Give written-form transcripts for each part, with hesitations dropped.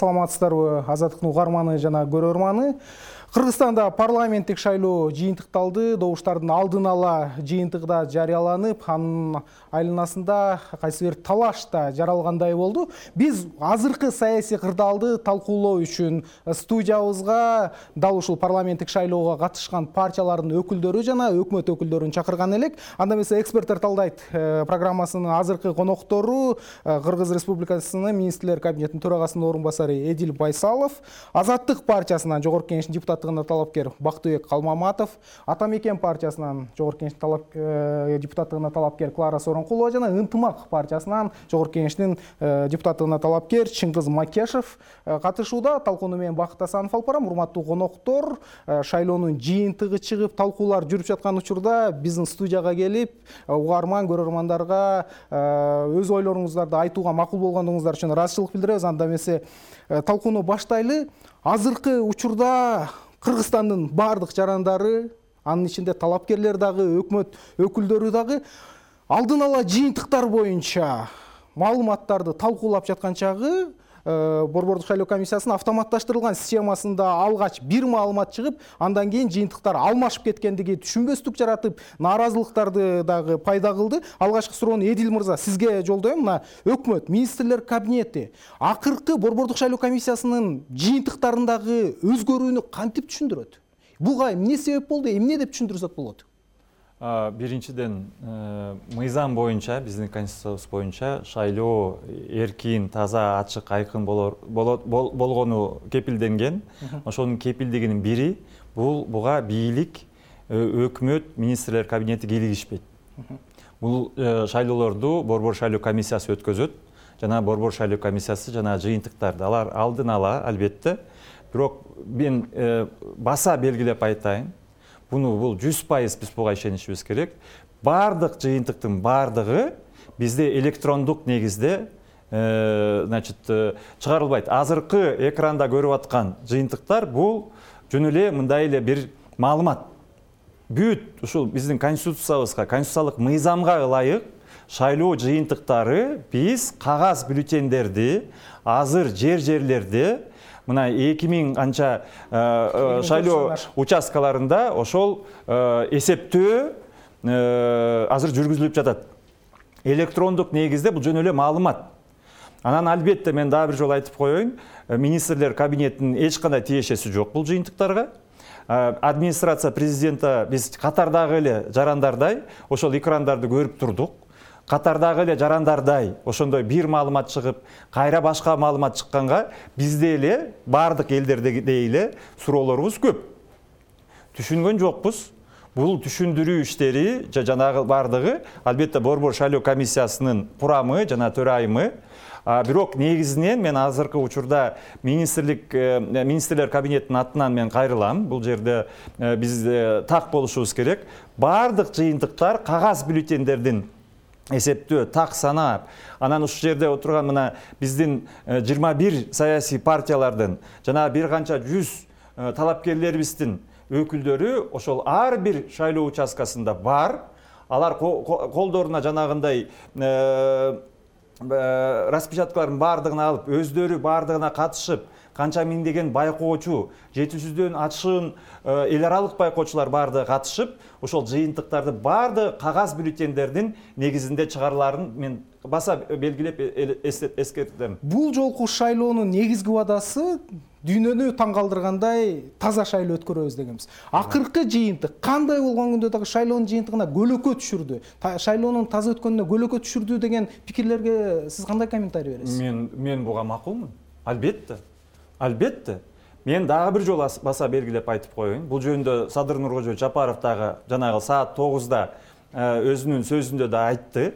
саламатсыздарбы, Азаттыктын угарманы жана көрөрманы. Кыргызстанда парламенттик шайлоо жыйынтыкталды, добуштардын алдын ала жыйынтыгы да жарыяланып, анын айланасында кайсы бир талаш да жаралгандай болду. Биз азыркы саясий кырдаалды талкуулоо үчүн студиябызга дал ушул парламенттик шайлоого катышкан партиялардын өкүлдөрү жана өкмөт өкүлдөрүн чакырган элек. Анда эмесе эксперттер талдайт программасынын азыркы коноктору Кыргыз Республикасынын министрлер кабинетинин төрагасынын орун басары Эдил Байсалов, Азаттык партиясынан жогорку кеңештин депутаттыгына талапкер Бактыбек Калмаматов, Атамекен партиясынан жогорку кеңештин депутаттыгына талапкер Клара Сооронкулова жана Ынтымак партиясынан жогорку кеңештин депутаттыгына талапкер Чыңгыз Макешев катышууда. Талкууну менен Бакыт Асанов алып барам. Урматтуу коноктор, шайлоонун жыйынтыгы чыгып, талкуулар жүрүп жаткан учурда биздин студияга келип, угарман көрөрмандарга өз ойлоруңуздарды айтууга макул болгондугуңуздар үчүн ыраазычылык билдиребиз. Анда эмесе талкууну баштайлы. Азыркы учурда Кыргызстандын бардык жарандары, анын ичинде талапкерлер дагы, өкмөт өкүлдөрү дагы алдын ала жыйынтыктар боюнча маалыматтарды талкуулап жаткан чагы Борбордук шайлоо комиссиясынын автоматташтырылган системасында алгач бир маалымат чыгып, андан кийин жыйынтыктар алмашып кеткендиги түшүнбөстүк жаратып, нааразылыктарды дагы пайда кылды. Алгачкы суроону Эдил мырза сизге жолдойм. Мына өкмөт, министрлер кабинети акыркы Борбордук шайлоо комиссиясынын жыйынтыктарындагы өзгөрүүнү кантип түшүндүрөт? Буга эмне себеп болду, эмне деп түшүндүрсөк болот? Биринчиден, мыйзам боюнча, биздин конституциябыз боюнча шайлоо эркин, таза, ачык, айкын болгону кепилденген. Ошонун кепилдигинин бири буга бийлик, өкмөт, министрлер кабинети кийлигишпейт. Бул шайлоолорду Борбор шайлоо комиссиясы өткөзөт. Жана Борбор шайлоо комиссиясы жана жыйынтыктарды алар алдын ала, албетте. Бирок мен баса белгилеп айтайын. Бул 100% биз буга ишенишибиз керек. Бардык жыйынтыктын бардыгы бизде электрондук негизде чыгарылбайт. Азыркы экранда көрүп аткан жыйынтыктар бул жөн эле мындай эле бир маалымат. Бүт ушул биздин конституциябызга, конституциялык мыйзамга ылайык шайлоо жыйынтыктары биз кагаз бюллетендерди азыр жерлерде мына 2000 анча шайлоо участкаларында ошол эсептөө азыр жүргүзүлүп жатат. Электрондук негизде бул жөн эле маалымат. Анан албетте мен дагы бир жолу айтып коеюн, министрлер кабинетинин эч кандай тиешеси жок бул жыйынтыктарга. Администрация президента биз катардагы эле жарандардай ошол экрандарды көрүп турдук. Катардагы эле жарандардай ошондой бир маалымат чыгып, кайра башка маалымат чыкканга бизде эле бардык элдердегидей эле суроолорубуз көп. Түшүнгөн жокпуз. Бул түшүндүрүү иштери жанагы бардыгы албетте Борбор шайлоо комиссиясынын курамы жана төрайымы. Бирок негизинен мен азыркы учурда министрлер кабинетинин атынан мен кайрылам. Бул жерде биз так болушубуз керек. Бардык жыйынтыктар кагаз бюллетендердин эсептөө, так санап, анан ушул жерде отурган мына биздин 21 саясий партиялардын жана бир канча 100 талапкерлерибиздин өкүлдөрү ошол ар бир шайлоо участкасында бар. Алар колдоруна жанагындай распечаткалардын бардыгын алып, өздөрү бардыгына катышып, канча миңдеген байкоочу, 700дөн ашыын эл аралык байкоочулар бардыгы катышып, ошол жыйынтыктарды барды кагаз бюллетендердин негизинде чыгарыларын мен баса белгилеп эскертем. Бул жолку шайлоонун негизги убадасы дүйнөнү таң калтыргандай таза шайлоо өткөрөбүз дегенбиз. Акыркы жыйынтык кандай болгон күндө дагы шайлоонун жыйынтыгына көлөкө түшүрдү. Шайлоонун таза өткөнүнө көлөкө түшүрдү деген пикирлерге сиз кандай комментарий бересиз? Мен буга макулмун. Албетте. Мен дагы бир жолу баса белгилеп айтып коеюн. Бул жөнүндө Садыр Нуркожо Жапаров дагы жанагы саат 9-да өзүнүн сөзүндө да айтты.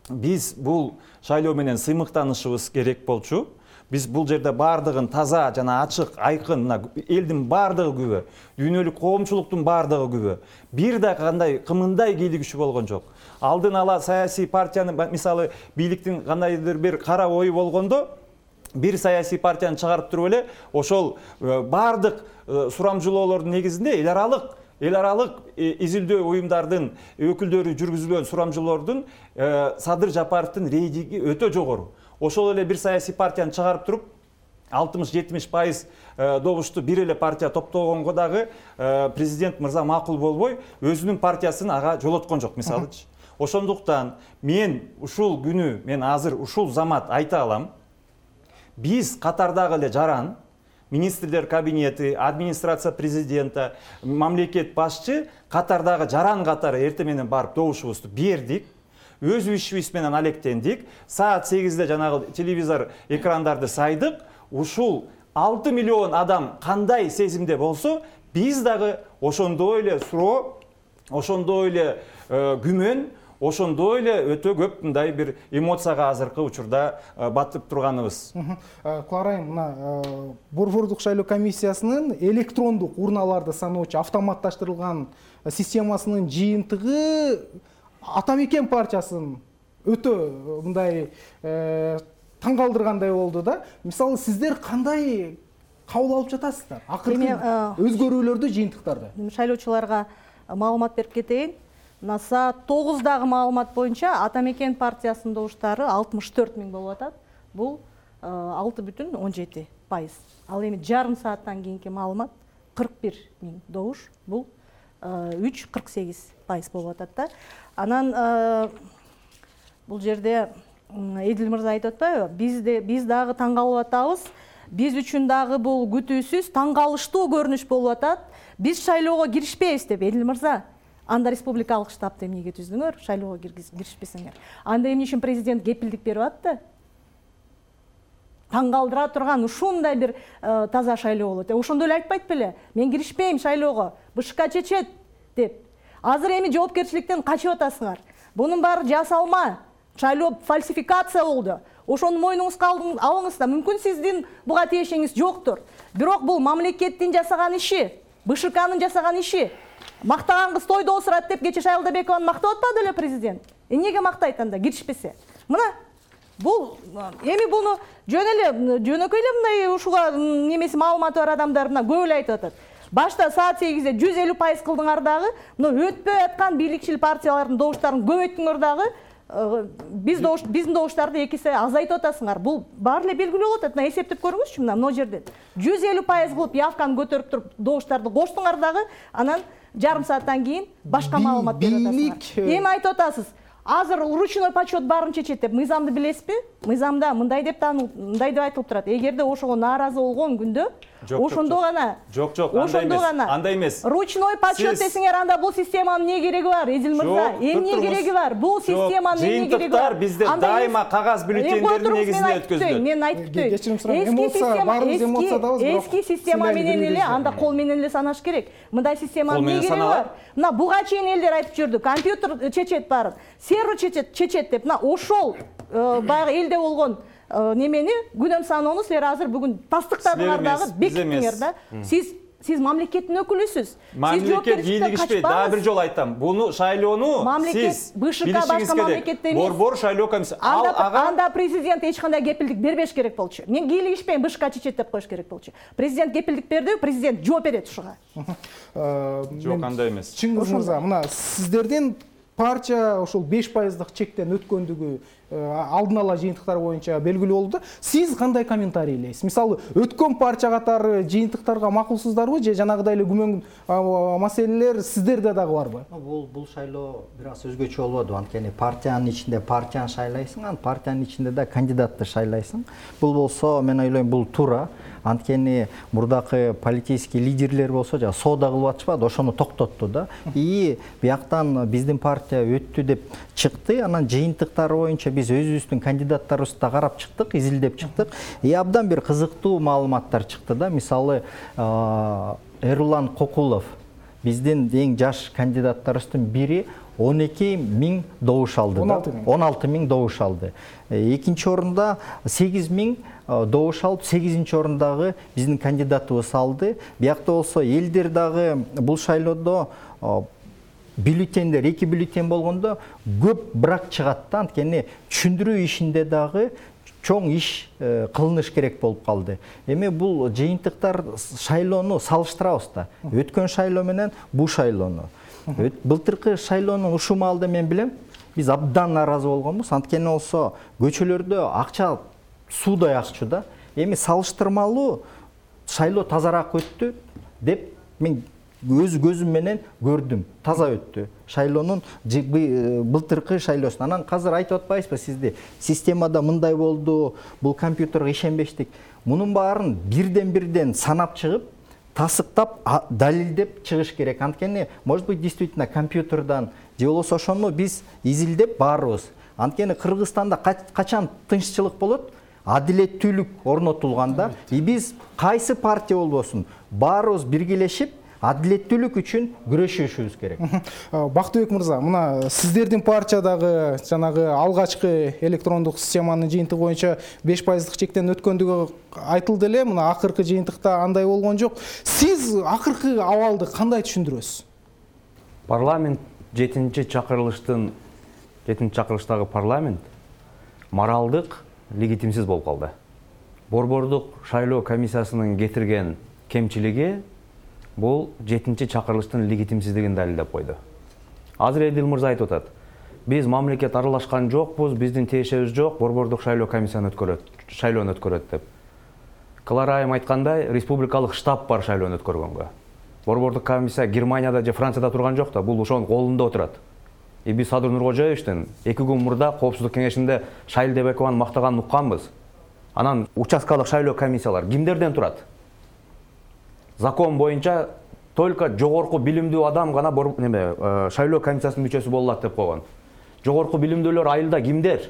Биз бул шайлоо менен сыймыктанышыбыз керек болчу. Биз бул жерде бардыгын таза жана ачык, айкын, элдин бардыгы күбө, дүйнөлүк коомчулуктун бардыгы күбө. Бир да кандай кымындай кийлигишүү болгон жок. Алдын ала саясий партиянын, мисалы, бийликтин кандайдыр бир кара ою болгондо, бир саясий партияны чыгарып туруп эле ошол бардык сурамжылоолордун негизинде эл аралык изилдөө уюмдардын өкүлдөрү жүргүзүлгөн сурамжылоордун Садыр Жапаровдун рейтинги өтө жогору. Ошол эле бир саясий партияны чыгарып туруп 60-70% добушту бир эле партия топтогонго дагы президент мырза макул болбой өзүнүн партиясын ага жолоткон жок, мисалычы. Ошондуктан мен ушул күнү, мен азыр ушул замат айта алам, биз катардагы эле жаран, министрлер кабинети, администрация президента, мамлекет башчы катардагы жаран катары эртең менен барып добушубузду бердик. Өз ишибиз менен алектендик. Саат 8-де жанагы телевизор экрандарды сайдык. Ушул 6 миллион адам кандай сезимде болсо, биз дагы ошондой эле суроо, ошондой эле күмөн, ошондой эле өтө көп мындай бир эмоцияга азыркы учурда батып турганыбыз. Клара айым, мына борбордук шайлоо комиссиясынын электрондук урналарды саноочу автоматташтырылган системасынын жыйынтыгы Ата Мекен партиясын өтө мындай таң калтыргандай болду да. Мисалы, сиздер кандай кабыл алып жатасыздар? Акыркы өзгөрүүлөрдү, жыйынтыктарды. Шайлоочуларга маалымат берип кетейин. Саат 9-дагы маалымат боюнча Ата Мекен партиясынын добуштары 64 000 болуп атат. Бул 6,17%. Ал эми жарым сааттан кийинки маалымат 41 000 добуш. Бул 3,48% болуп атат да. Анан бул жерде Эдил мырза айтып атпайбы? Биз дагы таң калып атабыз. Биз үчүн дагы бул күтүүсүз, таң калыштуу көрүнүш болуп атат. Биз шайлоого киришпейбиз деп, Эдил мырза. Анда республикалык штабты эмнеге түздүңөр? Шайлоого киришпесеңер. Анда эмне үчүн президент кепилдик берип атты? Таң калтыра турган ушундай бир таза шайлоо болот. Ошондо эле айтпайт беле? Мен киришпейм шайлоого, БШК чечет деп. Азыр эми жоопкерчиликтен качып атасыңар. Бунун баары жасалма. Шайлоо фальсификация болду. Ошону мойнуңузга алыңыз да. Мүмкүн сиздин буга тиешеңиз жоктур. Бирок бул мамлекеттин жасаган иши, БШКнын жасаган иши. Мактаган кыз тойдо осурат деп кече Шайлдабекованы мактап атпады эле президент. Эмнеге мактайт анда киришпесе? Мына бул эми буну жөнөкөй эле мындай ушуга немеси маалыматы бар адамдар мына көп эле айтып атат. Башта саат 8-де 150% кылдыңар дагы, мына өтпөй аткан бийликчил партиялардын добуштарын көбөйттүңөр дагы, биздин добуштарды 2 эсе азайтып атасыңар. Бул баары эле белгилүү болот. Мына эсептеп көрүңүзчү, мына жерден 150% кылып явканы көтөрүп туруп добуштарды коштуңар дагы, анан жарым сааттан кийин башка маалымат берип атасыңар. Эми айтып атасыз, азыр ручной подсчет баарын чечет деп. Мыйзамды билесизби? Мыйзамда мындай деп айтылып турат. Эгерде ошого нааразы болгон күндө, ошондо гана. Жок, андай эмес. Ручной подсчет десеңер, анда бул системанын эмне кереги бар, Эдил мырза? Эмне кереги бар? Бул системанын эмне кереги бар? Жыйынтыктар бизде дайыма кагаз бюллетендердин негизинде өткөзүлөт. Мен айтып кетейин. Эски система менен эле, анда кол менен эле санаш керек. Мындай системанын эмне кереги бар? Мына буга чейин элдер айтып жүрдү. Компьютер чечет баарын. Сервер чечет деп. Мына ошол баягы элде болгон немени күнөм саноону силер азыр бүгүн тастыктадыңар дагы, бекиттиңер да. Сиз мамлекеттин өкүлүсүз. Мамлекет бийлигишпейт. Дагы бир жолу айтам. Буну шайлоону сиз БШК башка мамлекетте эмес. Борбор шайлоо комиссиясы. Анда президент эч кандай кепилдик бербеш керек болчу. Мен бийлигишпейм, БШК чечет деп коюш керек болчу. Президент кепилдик берди, президент жооп берет ушуга. Жок, андай эмес. Чыңгыз мырза, мына сиздердин партия ошол 5%дык чектен өткөндүгү алдын ала жыйынтыктар боюнча белгилүү болду. Сиз кандай комментарийлейсиз? Мисалы, өткөн партия катары жыйынтыктарга макулсуздарбы же жанагыдай эле күмөн маселелер сиздерде дагы барбы? Бул шайлоо бир аз өзгөчө болбоду. Анткени партиянын ичинде партияны шайлайсың, анан партиянын ичинде да кандидатты шайлайсың. Бул болсо, мен ойлойм, бул туура. Анткени мурдакы политический лидерлер болсо, жа соода кылып атышпады, ошону токтотту да. И бияктан биздин партия өттү деп чыкты, анан жыйынтыктары боюнча биз өзүбүздүн кандидаттарыбызды да карап чыктык, изилдеп чыктык. Абдан бир кызыктуу маалыматтар чыкты да. Мисалы, Эрлан Кокулов, биздин эң жаш кандидаттарыбыздын бири 12 000 добуш алды. 16 000 добуш алды. Экинчи орунда 8 000 добуш алып, 8-нчи орундагы биздин кандидатыбыз алды. Биякта болсо элдер дагы бул шайлоодо бюллетендер, 2 бюллетен болгондо көп брак чыгат да. Анткени түшүндүрүү ишинде дагы чоң иш кылыныш керек болуп калды. Эми бул жыйынтыктар шайлоону салыштырабыз да. Өткөн шайлоо менен бул шайлоону. Былтыркы шайлоонун ушул маалда мен билем, биз абдан нааразы болгонбуз. Анткени болсо көчөлөрдө акча суудай акчу да. Эми салыштырмалуу шайлоо тазараак өттү деп мен өз көзүм менен көрдүм. Таза өттү. Шайлоонун былтыркы шайлоосун. Анан азыр айтып атпайсызбы сизди? Системада мындай болду, бул компьютерге ишенбештик. Мунун баарын бирден санап чыгып, тасыктап, далилдеп чыгыш керек. Анткени, может быть, действительно компьютердан же болбосо ошону биз изилдеп баарыбыз. Анткени Кыргызстанда качан тынччылык болот? Адилеттүүлүк орнотулганда, биз кайсы партия болбосун, баарыбыз биргелешип адилеттүүлүк үчүн күрөшүшүбүз керек. Бактыбек мырза, мына сиздердин партиядагы жанагы алгачкы электрондук системанын жыйынтыгы боюнча 5% чектен өткөндүгү айтылды эле. Мына акыркы жыйынтыкта андай болгон жок. Сиз акыркы абалды кандай түшүндүрөсүз? Парламент 7-чакырылыштагы парламент моралдык легитимсиз болуп калды. Борбордук шайлоо комиссиясынын кетирген кемчилиги бул 7-чакырылыштын легитимсиздигин далилдеп койду. Азыр Эдил мырза айтып атат. Биз мамлекет аралашкан жокпуз, биздин тиешебиз жок, борбордук шайлоо комиссияны шайлоону өткөрөт деп. Клара айым айткандай, республикалык штаб бар шайлоону өткөргөнгө. Борбордук комиссия Германияда же Францияда турган жок да, бул ошонун колунда отурат. Биз Садыр Нуркожоевичтин 2 күн мурда Коопсуздук кеңешинде Шайль Дебекованы мактаганын укканбыз. Анан участкалык шайлоо комиссиялар кимдерден турат? Закон боюнча только жогорку билимдүү адам гана шайлоо комиссиясынын мүчөсү боло алат деп койгон. Жогорку билимдүүлөр айылда кимдер?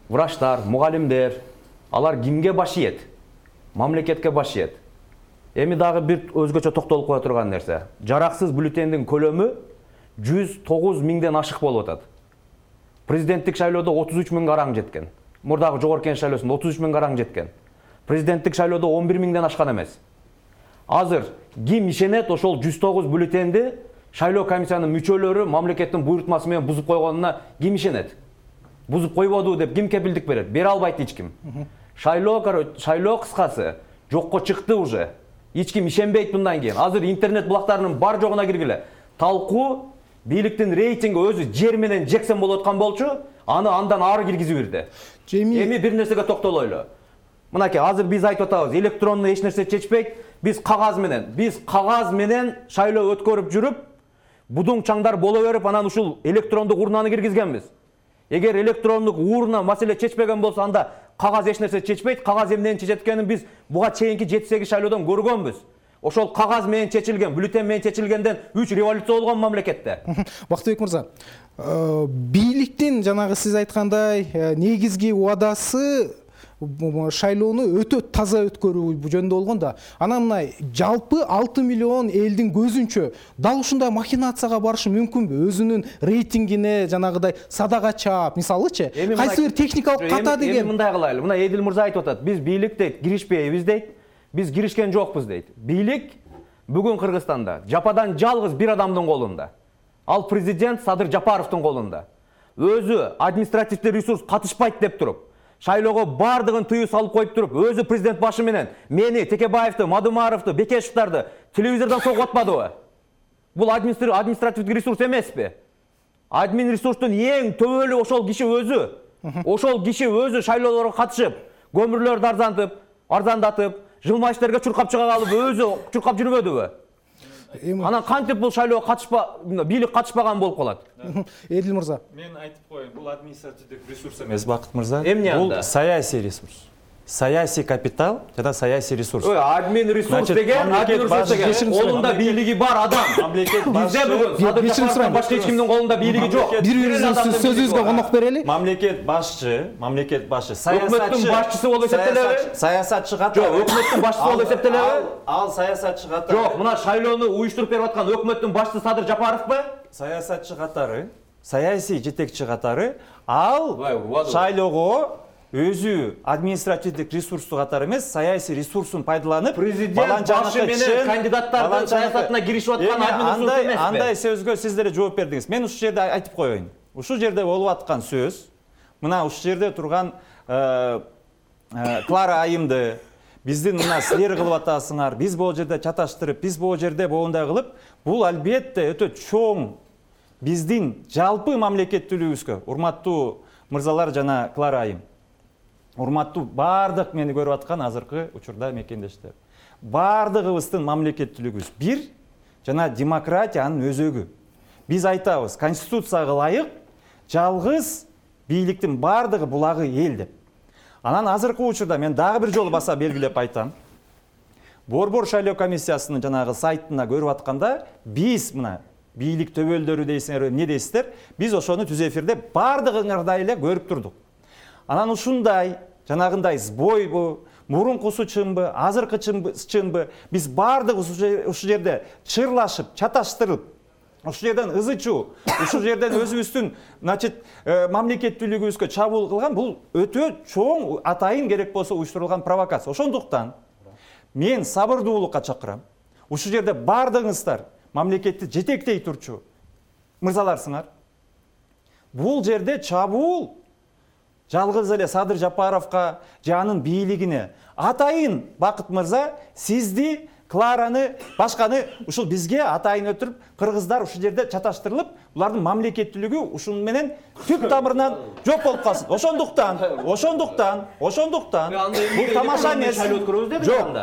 Врачтар, мугалимдер. Алар кимге баш ийет? Мамлекетке баш ийет. Эми дагы бир өзгөчө токтолуп кое турган нерсе. Жараксыз бюллетендин көлөмү 109 миңден ашык болуп атат. Президенттик шайлоодо 33 миң караң жеткен. Мурдагы жогорку кеңеш шайлоосунда 33 миң караң жеткен. Президенттик шайлоодо 11 миңден ашкан эмес. Азыр ким ишенет ошол 109 бюллетенди шайлоо комиссиянын мүчөлөрү мамлекеттин буйрутмасы менен бузуп койгонуна ким ишенет? Бузуп койбоду деп ким кепилдик берет? Бере албайт эч ким. Шайлоо кыскасы жокко чыкты уже. Эч ким ишенбейт мындан кийин. Азыр интернет булактарынын бар жогуна киргиле. Талкуу бийликтин рейтинги өзү жер менен жексен болуп аткан болчу, аны андан ары киргизип бирди. Эми бир нерсеге токтолойлу. Мынакей азыр биз айтып атабыз, электронду эч нерсе чечпейт. Биз кагаз менен шайлоо өткөрүп жүрүп, будуң чаңдар боло берип, анан ушул электрондук урнаны киргизгенбиз. Эгер электрондук урна маселе чечпеген болсо, анда кагаз эч нерсе чечпейт. Кагаз эмнени чечет экенин биз буга чейинки 7-8 шайлоодон көргөнбүз. Ошол кагаз менен чечилген, бюллетен менен чечилгенден 3 революция болгон мамлекетте. Бактыбек мырза, бийликтин жанагы сиз айткандай негизги убадасы шайлоону өтө таза өткөрүү жөнүндө болгон да. Анан мына жалпы 6 миллион элдин көзүнчө дал ушундай махинацияга барышы мүмкүнбү? Өзүнүн рейтингине жанагыдай садага чаап, мисалычы, кайсы бир техникалык ката деген. Эми мындай кылайлы. Мына Эдил мырза айтып атат. Биз бийлик дейт, киришпейбиз дейт. Биз киришкен жокпуз дейт. Бийлик бүгүн Кыргызстанда жападан жалгыз бир адамдын колунда. Ал президент Садыр Жапаровдун колунда. Өзү административдик ресурс катышпайт деп туруп, шайлоого бардыгын тыюу салып коюп туруп, өзү президент башы менен мени, Текебаевди, Мадумаровду, Бекешевдарды телевизордон согуп атпадыбы? Бул административдик ресурс эмеспи? Админ ресурстун эң төбөлү ошол киши өзү. Ошол киши өзү шайлоолорго катышып, көмүрлөрдү арзандатып, жылмайыштерге чуркап чыга калып, өзү чуркап жүрбөдүбү? Анан кантип бул шайлоого бийлик катышпаган болуп калат? Эдил мырза, мен айтып коеюн, бул административдик ресурс эмес, Бакыт мырза. Бул саясий ресурс. Саясий капитал жана саясий ресурс. Админ ресурс деген, колунда бийлиги бар адам. Бизде бүгүн Садыр Жапаровдон башка эч кимдин колунда бийлиги жок. Бири-бириңиздин сөзүңүзгө конок берели. Мамлекет башчы, өкмөттүн башчысы болуп эсептелеби? Саясатчы катары. Жок, өкмөттүн башчысы болуп эсептелеби? Ал саясатчы катары. Жок, мына шайлоону уюштуруп берип аткан өкмөттүн башчысы Садыр Жапаровбу? Саясатчы катары, саясий жетекчи катары, ал шайлоого өзү административдик ресурсту катары эмес, саясий ресурсун пайдаланып, президент башы менен кандидаттардын саясатына киришип аткан админ ресурс эмеспи? Андай сөзгө сиздер жооп бердиңиз. Мен ушул жерде айтып коеюн. Ушул жерде болуп аткан сөз, мына ушул жерде турган Клара айымды биздин мына силер кылып атасыңар, биз бул жерде чаташтырып, биз бул жерде боундай кылып, бул албетте өтө чоң биздин жалпы мамлекеттүүлүгүбүзгө, урматтуу мырзалар жана Клара айым. урматтуу баардык мени көрүп аткан азыркы учурда мекендештер, баардыгыбыздын мамлекеттүүлүгүбүз бир жана демократиянын өзөгү. Биз айтабыз, конституцияга ылайык жалгыз бийликтин баардыгы булагы эл деп. Анан азыркы учурда мен дагы бир жолу баса белгилеп айтам. Борбор шайлоо комиссиясынын жанагы сайтына көрүп атканда биз мына бийлик төбөлдөрү дейсиңер, эмне дейсиздер? Биз ошону түз эфирде баардыгыңардай эле көрүп турдук. Анан ушундай жанагындай сбойбу, мурункусу чынбы, азыркы чынбы, биз баардыгыбыз ушул жерде чырлашып, чаташтырып, ушул жерден ызычуу, ушул жерден өзүбүздүн, значит, мамлекеттүүлүгүбүзгө чабуул кылган бул өтө чоң атайын керек болсо уюштурулган провокация. Ошондуктан мен сабырдуулукка чакырам. Ушул жерде баардыгыңыздар мамлекетти жетектей турчу мырзаларсыңар. Бул жерде чабуул жалгыз эле Садыр Жапаровго же анын бийлигине атайын Бакыт мырза сизди, Клараны, башканы ушул бизге атайын өтүрүп, кыргыздар ушул жерде чаташтырылып, булардын мамлекеттүүлүгү ушун менен түп тамырынан жок болуп калсын. Ошондуктан бул тамаша эмес. Жок.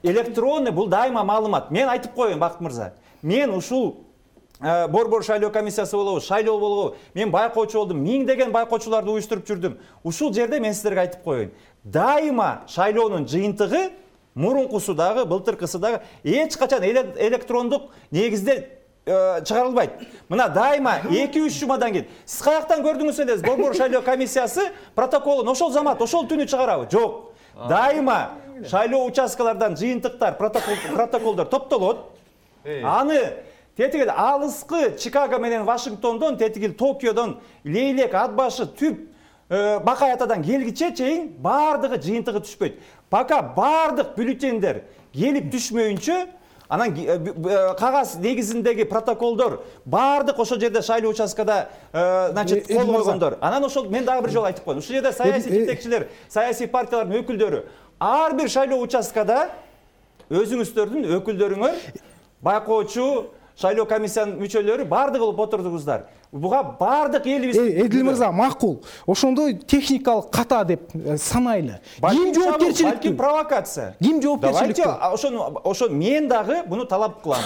Электронный бул дайыма маалымат. Мен айтып коеюн, Бакыт мырза. Мен ушул борбор шайлоо комиссиясы болобу, шайлоо болобу, мен байкоочу болдум, миңдеген байкоочуларды уюштуруп жүрдүм. Ушул жерде мен сиздерге айтып коеюн. Дайыма шайлоонун жыйынтыгы мурункусу дагы, былтыркысы дагы эч качан электрондук негизде чыгарылбайт. Мына дайыма 2-3 жумадан кийин сиз каяктан көрдүңүз эле борбор шайлоо комиссиясы протоколун ошол замат, ошол түнү чыгарабы? Жок. Дайыма шайлоо участкалардан жыйынтыктар, протоколдор топтолот. Аны тетиги алыскы Чикаго менен Вашингтондон, тетиги Токиодон, Лейлек, Атбашы, Түп, Бакай Атадан келгиче чейин баардыгы жыйынтыгы түшпөйт. Пока баардык бюллетендер келип түшмөйүнчө, анан кагаз негизиндеги протоколдор баардык ошол жерде шайлоо участкада, значит, кол койгондор. Анан ошол мен дагы бир жолу айтып коеюн. Ушул жерде саясий жетекчилер, саясий партиялардын өкүлдөрү ар бир шайлоо участкада өзүңүздөрдүн өкүлдөрүңөр, байкоочу, шайлоо комиссиянын мүчөлөрү баардыгы болуп отурдуңуздар. Буга баардык элибиз Эдил мырза, макул. Ошондой техникалык ката деп санайлы. Ким жоопкерчиликтүү? Провокация. Ким жоопкерчиликтүү? Давайте ошо мен дагы буну талап кылам.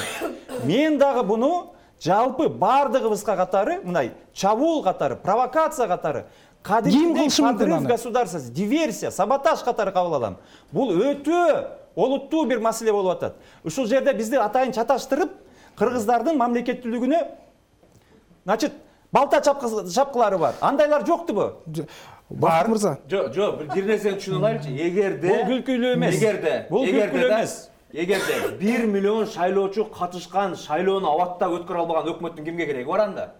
Мен дагы буну жалпы баардыгыбызга катары, мындай чабуул катары, провокация катары, кадимдей подрыв государства, диверсия, саботаж катары кабыл алам. Бул өтө олуттуу бир маселе болуп атат. Ушул жерде бизди атайын чаташтырып, кыргыздардын мамлекеттүүлүгүнө, значит, балта чапкылары бар. Андайлар жоктубу? Бакыт мырза. Жок, бир нерсени түшүнүп алайлычы. Эгерде бул күлкүлүү эмес. Эгерде 1 миллион шайлоочу катышкан шайлоону абатта өткөрө албаган өкмөттүн кимге кереги бар анда?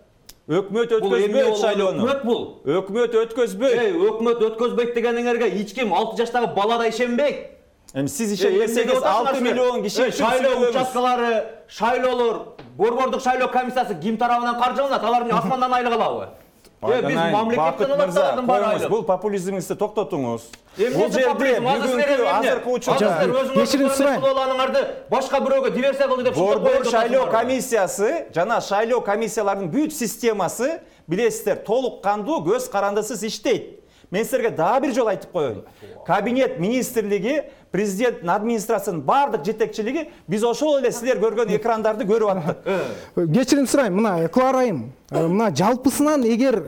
Өкмөт өткөзбөйт шайлоону. Өкмөт бул. Өкмөт өткөзбөйт. Өкмөт өткөзбөйт дегениңерге эч ким 6 жаштагы бала да ишенбейт. Эми сиз ишенбесеңиз 6 миллион киши шайлоо участкалары, шайлоолор, борбордук шайлоо комиссиясы ким тарабынан каржыланат? Алар эмне асмандан айлык алабы? Биз мамлекеттен алабыз, бар айлык. Бул популизмиңизди токтотуңуз. Бул жерде бүгүнкү азыркы учурда кечирим сурайм. Балаларыңарды башка бирөөгө диверсия кылды деп борбор шайлоо комиссиясы жана шайлоо комиссияларынын бүт системасы билесиздер, толук кандуу, көз карандысыз иштейт. Мен силерге дагы бир жолу айтып коеюн. Кабинет министрлиги, президенттин администрациянын баардык жетекчилиги биз ошол эле силер көргөн экрандарды көрүп аттык. Кечирим сурайм, мына Клара айым, мына жалпысынан эгер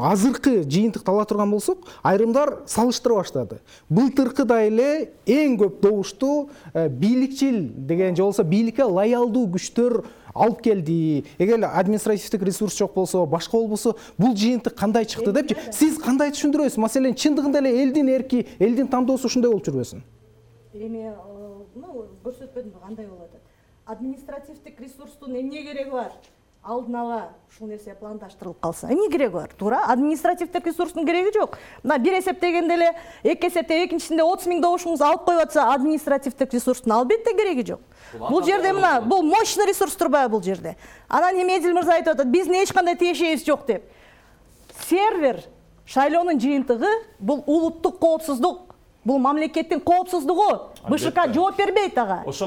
азыркы жыйынтыкты ала турган болсок, айрымдар салыштыра баштады. Былтыркыдай эле эң көп добушту бийликчил деген же болбосо бийликке лоялдуу күчтөр алып келди. Эгер административдик ресурс жок болсо, башка болбосо, бул жыйынтык кандай чыкты депчи, сиз кандай түшүндүрөсүз? Маселен, чындыгында эле элдин эрки, элдин тандоосу ушундай болуп жүрбөсүн? Эми, көрсөтпөдүм кандай болуп атат. Административдик ресурстун эмне кереги бар? Алдын ала ушул нерсе пландаштырылып калса, эмне кереги бар? Туура, административдик ресурстун кереги жок. Мына бир эсептегенде эле, эки эсепте экинчисинде 30 000 добушуңуз алып коюп атса, административдик ресурстун албетте кереги жок. Бул жерде мына, бул мощный ресурс турбайбы бул жерде? Анан эми Эдил мырза айтып атат, биздин эч кандай тиешебиз жок деп. Сервер шайлоонун жыйынтыгы бул улуттук коопсуздук, бул мамлекеттин коопсуздугу. БШК жооп бербейт ага. БШК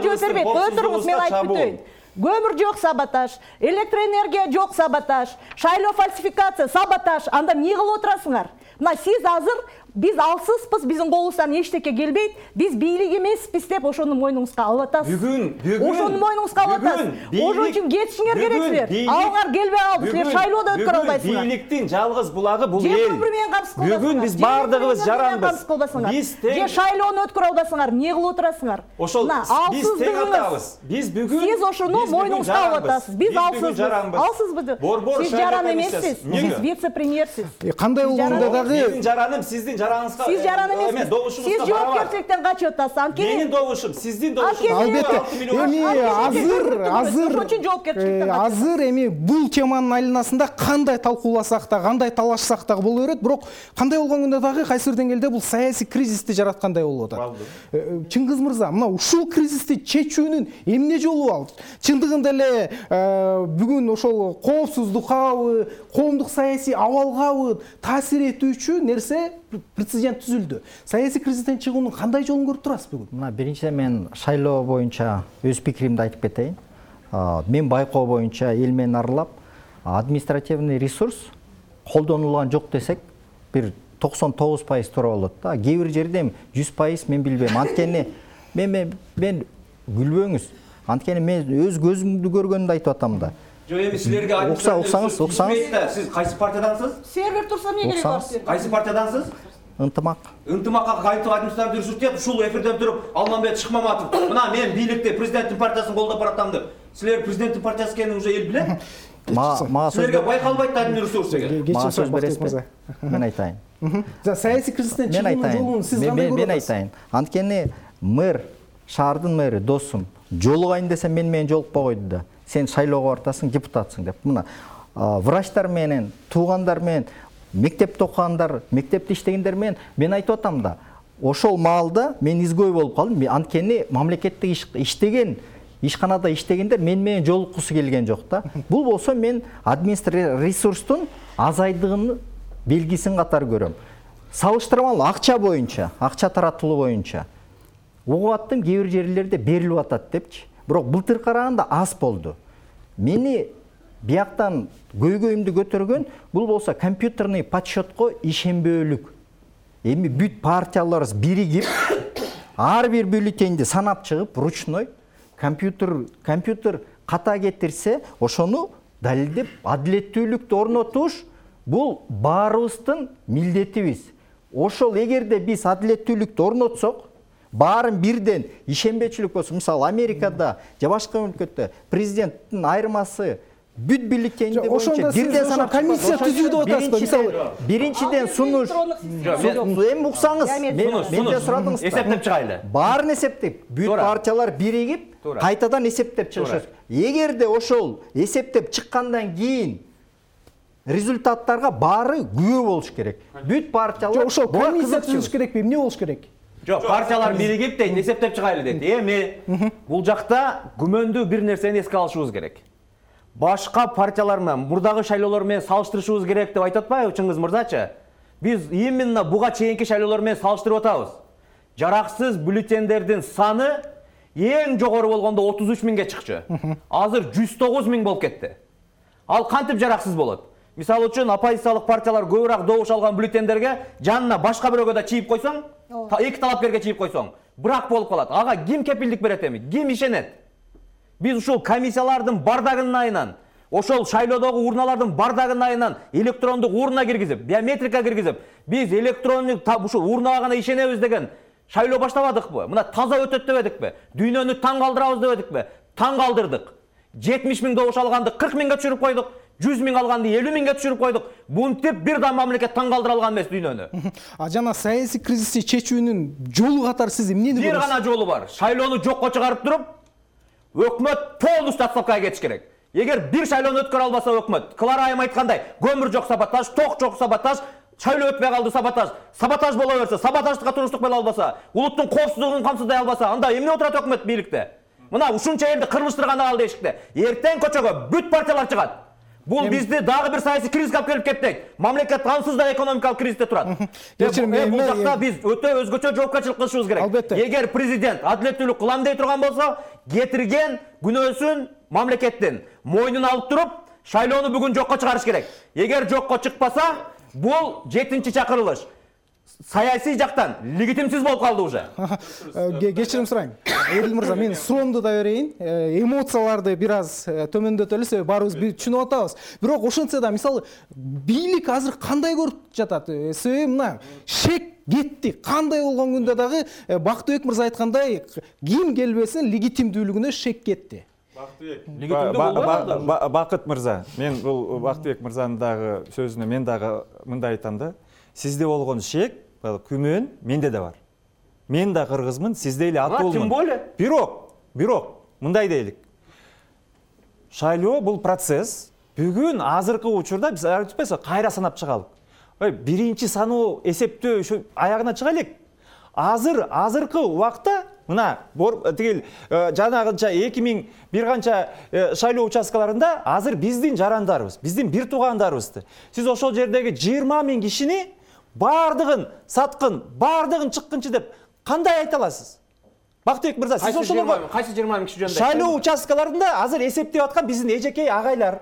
жооп бербейт. Кое туруңуз, мен айтып өтөйүн. Көмүр жок, саботаж, электроэнергия жок, саботаж, шайлоо фальсификация, саботаж. Анда эмне кылып отурасыңар? Мына сиз азыр биз алсызбыз, биздин колубуздан эчтеке келбейт, биз бийлик эмеспиз деп ошону мойнуңузга алып атасыз. Бүгүн ошону мойнуңузга алып атасыз. Ошон үчүн кетишиңер керек силер. Алыңар келбей алды, силер шайлоодо өткөрө албайсыңар. Бийликтин жалгыз булагы бул Же эл. бір менен камсыз кылбасыңар. Бүгүн биз бардыгыбыз жаранбыз. Биз же шайлоону өткөрө албасыңар, эмне кылып отурасыңар? Ошол биз тең атабыз. Биз бүгүн сиз ошону мойнуңузга алып атасыз. Биз алсызбыз. Борбор Сиз жаран эмессиз. Сиз вице-премьерсиз. Кандай болгондо дагы менин жараным сиздин жараңызга. Сиз жаран эмессиз. Сиз жоопкерчиликтен качып атасыз. Анткени менин добушум, сиздин добушуңуз. албетте эми азыр эми бул теманын айланасында кандай талкууласак да, кандай талашсак да боло берет, бирок кандай болгондо дагы кайсы бир деңгээлде бул саясий кризисти жараткандай болуп атат. Чыңгыз мырза, мына ушул кризисти чечүүнүн эмне жолу бар? Чындыгында эле бүгүн ошол коопсуздуккабы, коомдук саясий абалгабы таасир этүүчү нерсе прецедент түзүлдү. Саясий кризистен чыгуунун кандай жолун көрүп турасыз бүгүн? Мына биринчиден мен шайлоо боюнча өз пикиримди айтып кетейин. Мен байкоо боюнча эл менен аралап, административный ресурс колдонулган жок десек, бир 99% туура болот да. Кээ бир жерде 100% мен билбейм. Анткени мен күлбөңүз. Анткени мен өз көзүмдү көргөнүмдү айтып атам да. Жок, эми силерге уксаңыз. Сиз кайсы партиядансыз? Сервер турса эмне кереги бар силерге? Кайсы партиядансыз? Ынтымак. Ынтымакка кайтып административный ресурс деп ушул эфирден туруп Алмамбет Шыкмаматов мына мен бийликте президенттин партиясын колдоп баратам деп. Силер президенттин партиясы экенин уже эл билет. Силерге байкалбайт да админ ресурс деген. Ма сөз бересизби? Мен айтайын. Саясий кризистен чыгуунун жолун сиз кандай көрүп Мен атасыз? айтайын. Анткени мэр, шаардын мэри досум, жолугайын десем менен жолукпай койду да. Сен шайлоого бартасың, депутатсың деп. Мына врачтар менен, туугандар менен, мектепте окугандар, мектепте иштегендер менен мен айтып атам да. Ошол маалда мен изгой болуп калдым. Анткени мамлекетте иштеген, ишканада иштегендер менен жолуккусу келген жок да. Бул болсо мен административный ресурстун азайдыгынын белгисин катары көрөм. Салыштырмалуу акча боюнча, акча таратылуу боюнча угуп аттым, кээ бир жерлерде берилип атат депчи. Бирок былтыр караганда аз болду. Мени бияктан көйгөйүмдү көтөргөн бул болсо компьютерный подсчетко ишенбөөлүк. Эми бүт партияларыбыз биригип, ар бир бюллетенди санап чыгып, ручной компьютер ката кетирсе, ошону далилдеп адилеттүүлүктү орнотуш бул баарыбыздын милдетибиз. Ошол эгерде биз адилеттүүлүктү орнотсок, баарын бирден ишенбечилик болсо, мисалы Америкада же башка өлкөдө президенттин айырмасы бүт бюллетенди боюнча бирден санап комиссия түзүү деп атасызбы? Мисалы биринчиден сунуш, эми уксаңыз, менде сурадыңыз. Эсептеп чыгайлы. Баарын эсептеп, бүт партиялар биригип, кайтадан эсептеп чыгышат. Эгерде ошол эсептеп чыккандан кийин результаттарга баары күбө болуш керек. Бүт партиялар ошол комиссия түзүш керекпи? Эмне болуш керек? Жок, партиялар биригип дейт, эсептеп чыгайлы дейт. Эми бул жакта күмөндүү бир нерсени эске алышыбыз керек. Башка партиялар менен, мурдагы шайлоолор менен салыштырышыбыз керек деп айтып атпайбы Чыңгыз мырзачы? Биз именно буга чейинки шайлоолор менен салыштырып атабыз. Жараксыз бюллетендердин саны эң жогору болгондо 33 миңге чыкчу. Азыр 109 миң болуп кетти. Ал кантип жараксыз болот? Мисалы үчүн оппозициялык партиялар көбүрөөк добуш алган бюллетендерге жанына башка бирөөгө да чийип койсоң, эки талапкерге чийип койсоң, брак болуп калат. Ага ким кепилдик берет эми? Ким ишенет? Биз ушул комиссиялардын бардагынын айынан, ошол шайлоодогу урналардын бардагынын айынан электрондук урна киргизип, биометрика киргизип, биз электрондук ушул урнага гана ишенебиз деген шайлоо баштабадыкпы? Мына таза өтөт дебедикпи? Дүйнөнү таң калтырабыз дебедикпи? Таң калтырдык. 70 миң добуш алганды 40 миңге түшүрүп койдук. 100 миң алганды 50 миңге түшүрүп койдук. Бунтип бир да мамлекет таң калтыра алган эмес дүйнөнү. Жана саясий кризисти чечүүнүн жолу катары сиз эмнени көрөсүз? Бир гана жолу бар. Шайлоону жокко чыгарып туруп, өкмөт полностью отставкага кетиш керек. Эгер бир шайлоону өткөрө албаса өкмөт, Клара айым айткандай, көмүр жок саботаж, ток жок саботаж, шайлоо өтпөй калды саботаж. Саботаж боло берсе, саботаждыкка туруштук боло албаса, улуттун коопсуздугун камсыздай албаса, анда эмне отурат өкмөт бийликте? Мына ушунча элди кырмыштырган ал эшикте. Эртең көчөгө бүт партиялар чыгат. Бул бизди дагы бир саясий кризиске алып келип кетпейт. Мамлекет ансыз да экономикалык кризисте турат. Бул жакта биз өтө өзгөчө жоопкерчилик кылышыбыз керек. Эгер президент адилеттүүлүк кылам дей турган болсо, кетирген күнөөсүн мамлекеттин мойнуна алып туруп, шайлоону бүгүн жокко чыгарыш керек. Эгер жокко чыкпаса, бул 7-чакырылыш. саясий жактан легитимсиз болуп калды уже. Кечирим сурайм. Эдил мырза, мен суроомду да берейин. Эмоцияларды бир аз төмөндөтөлү, себеби баарыбыз түшүнүп атабыз. Бирок ошентсе да мисалы бийлик азыр кандай көрүп жатат? Себеби мына шек кетти. Кандай болгон күндө дагы Бактыбек мырза айткандай ким келбесин легитимдүүлүгүнө шек кетти. Бакыт мырза, мен бул Бактыбек мырзанын дагы сөзүнө мен дагы мындай айтам да. Сизде болгон шек, күмөн менде да бар. Мен да кыргызмын, сизде эле атуулмун. Тем более. Бирок, мындай дейлик. Шайлоо бул процесс. Бүгүн азыркы учурда биз айтпайсызбы, кайра санап чыгалык. Биринчи саноо эсептөө ушу аягына чыга элек. Азыркы убакта мына тигил жанагынча 2000 бир канча шайлоо участкаларында азыр биздин жарандарыбыз, биздин бир туугандарыбызды. Сиз ошол жердеги 20 000 кишини бардыгын саткын, бардыгын чыккынчы деп кандай айта аласыз? Бактыбек мырза, сиз ошолорго кайсы 20 000 киши жөнүндө шайлоо участкаларында азыр эсептеп аткан биздин эжекей агайлар,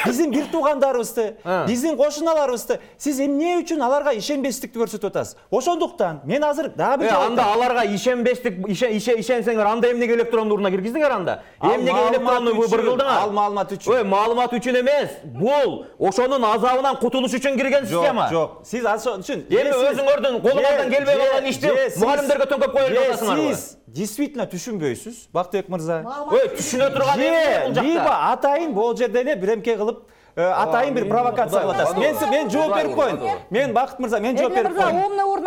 биздин бир туугандарыбызды, биздин кошуналарыбызды сиз эмне үчүн аларга ишенбестикти көрсөтүп атасыз? Ошондуктан мен азыр дагы бир анда аларга ишенсеңер анда эмнеге электрондуу урна киргиздиңер анда? Эмнеге электрондуу быргылдыңар? Ал маалымат үчүн. Маалымат үчүн эмес. Бул ошонун азабынан кутулуш үчүн кирген система. Жок. Сиз ошон үчүн эми өзүңөрдүн колуңардан келбей калган ишти мугалимдерге төңкөп коюп жатасыңарбы? Сиз действительно түшүнбөйсүз, Бактыбек мырза. Түшүнө турган эмне бул жакта? Либо атайын бул жерде эле биремке кылып атайын бир провокация кылып атасыз. Мен жооп берип коеюн. Мен Бакыт мырза, мен жооп берип коеюн.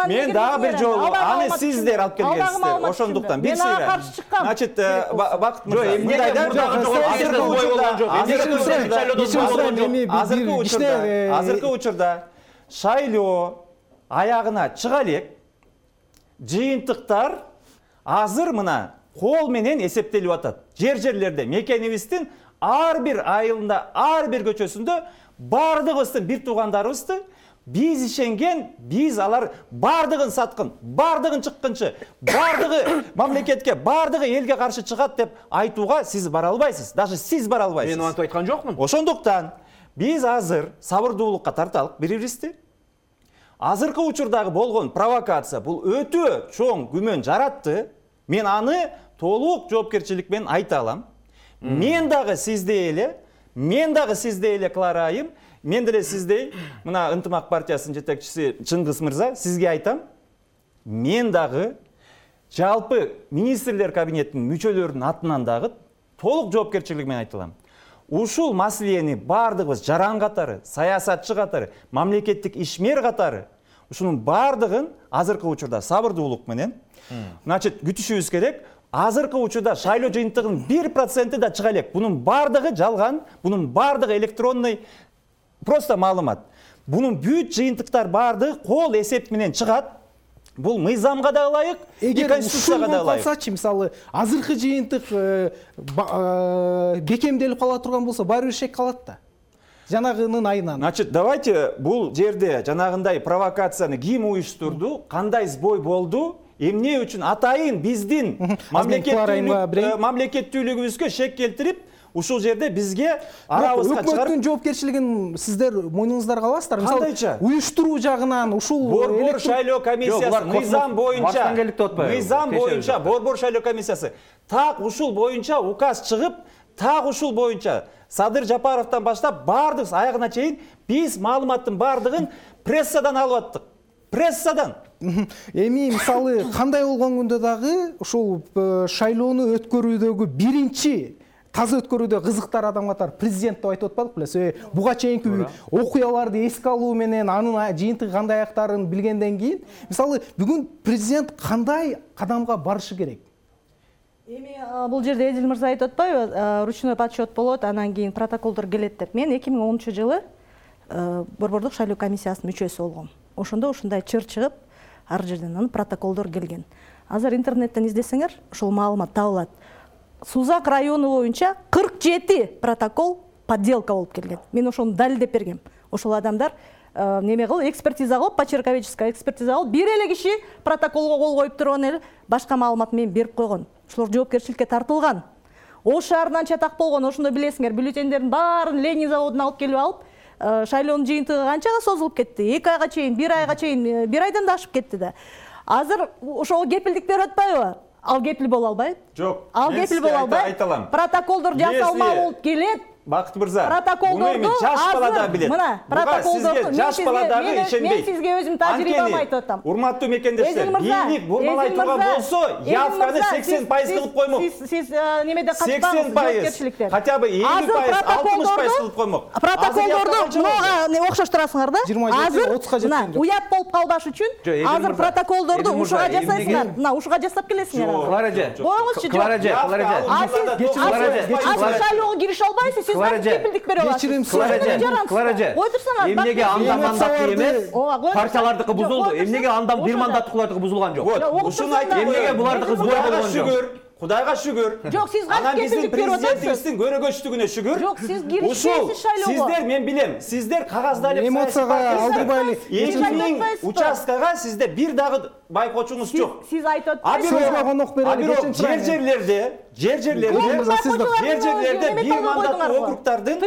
Мен дагы бир жолу аны сиздер алып келгенсиздер. Ошондуктан бир сыйра. каршы чыккам. Значит, Бакыт мырза, эмнеге азыркы учурда шайлоо аягына чыга элек. Жыйынтыктар азыр мына кол менен эсептелип атат. Жерлерде мекенибиздин ар бир айылында, ар бир көчөсүндө бардыгыбыздын бир туугандарыбызды биз ишенген, биз алар бардыгын саткын, бардыгын чыккынчы, бардыгы мамлекетке, бардыгы элге каршы чыгат деп айтууга сиз бара албайсыз. Даже сиз бара албайсыз. Мен антип айткан жокмун. Ошондуктан биз азыр сабырдуулукка тарталык бири-бирибизди. Азыркы учурдагы болгон провокация бул өтө чоң күмөн жаратты. Мен аны толук жоопкерчилик менен айта алам. Мен дагы сиздей эле Клара айым, мен деле сиздей мына Ынтымак партиясынын жетекчиси Чыңгыз мырза, сизге айтам. Мен дагы жалпы министрлер кабинетинин мүчөлөрүнүн атынан дагы толук жоопкерчилик менен айта алам. Ушул маселени бардыгыбыз жаран катары, саясатчы катары, мамлекеттик ишмер катары ушунун бардыгын азыркы учурда сабырдуулук менен значит күтүшүбүз керек. Азыркы учурда шайлоо жыйынтыгынын 1% да чыга элек. Бунун бардыгы жалган, бунун бардыгы электронный просто маалымат. Бунун бүт жыйынтыктар бардыгы кол эсеп менен чыгат. Бул мыйзамга да ылайык, конституцияга да ылайык. Калсачы, мисалы, азыркы жыйынтык бекемделип кала турган болсо, баары бир шек калат да. Жанагынын айынан. Значит, давайте бул жерде жанагындай провокацияны ким уюштурду, кандай сбой болду, эмне үчүн атайын биздин мамлекеттүүлүгүбүзгө шек келтирип, ушул жерде бизге арабызга чыгарып. Өкмөттүн жоопкерчилигин сиздер мойнуңуздарга аласыздар. Кандайча? Уюштуруу жагынан ушул Борбор шайлоо комиссиясы мыйзам боюнча, Борбор шайлоо комиссиясы так ушул боюнча указ чыгып, так ушул боюнча Садыр Жапаровдон баштап бардык аягына чейин биз маалыматтын бардыгын прессадан алып аттык. Прессадан. Эми мисалы кандай болгон күндө дагы ушул шайлоону өткөрүүдөгү биринчи таза өткөрүүдө кызыктар адам катары президент деп айтып атпадык беле? Себеби буга чейинки окуяларды эске алуу менен анын жыйынтыгы кандай аяктарын билгенден кийин, мисалы бүгүн президент кандай кадамга барышы керек? Эми бул жерде Эдил мырза айтып атпайбы, ручной подсчет болот, анан кийин протоколдор келет деп. Мен 2010-жылы Борбордук шайлоо комиссиясынын мүчөсү болгом. Ошондо ушундай чыр чыгып, ар жерден анын протоколдор келген. Азыр интернеттен издесеңер, ушул маалымат табылат. Сузак району боюнча 47 протокол подделка болуп келген. Мен ошону далилдеп бергем. Ошол адамдар неме кылып, экспертиза кылып, почерковедческая экспертиза кылып, бир эле киши протоколго кол коюп турган эле, башка маалымат мен берип койгон. Ошолор жоопкерчиликке тартылган. Ош шаарынан чатак болгон, ошондо билесиңер, бюллетендердин баарын Ленин заводуна алып келип алып, шайлоонун жыйынтыгы канчага созулуп кетти? 2 айга чейин, 1 айга чейин, 1 айдан да ашып кетти да. Азыр ошого кепилдик берип атпайбы? Ал кепил боло албайт. Жок. Ал кепил боло албайт. Айталам. Протоколдор жасалма болуп келет. Бакыт мырза, Протоколдорду жаш бала да билет. Мына, протоколдорду жаш бала дагы ишенбейт. Мен сизге өзүм тажрыйбам айтып атам. Урматтуу мекендештер, бийлик бурмалай турган болсо, явканы 80% кылып коймок. Сиз немеден качпаңыз, 80%, хотя бы 50%, 60% кылып коймок. Протоколдорду мага окшоштурасыңар да. 27-30га жеткен жок. Уят болуп калбаш үчүн азыр протоколдорду ушуга жасайсыңар. Мына ушуга жасап келесиңер. Клаража. Коюңузчу. Клаража. Шайлоого кирише албайсыз, сиз кепилдик берип аласыз. Клаража. Ой турсаңар. Эмнеге анда мандаттуу эмес? Партиялардыкы бузулду. Эмнеге андан бир мандаттуулардыкы бузулган жок? Ушуну айтып эмнеге булардыкы бузулган болгон жок? Кудайга шүгүр. Жок, сиз Анан кантип биздин кепилдик берип атасыз? президентибиздин көрөгөчтүгүнө шүгүр. Жок, сиз киришпейсиз шайлоого. Сиздер, мен билем, сиздер кагазда эле Эмоцияга алдырбайлы. 2000 участкага сизде бир дагы байкоочуңуз жок. Сиз айтып А атпайсызбы? Сөзгө конок берели, кечиrim сурайм. жер-жерлерде бир мандаттуу округдардын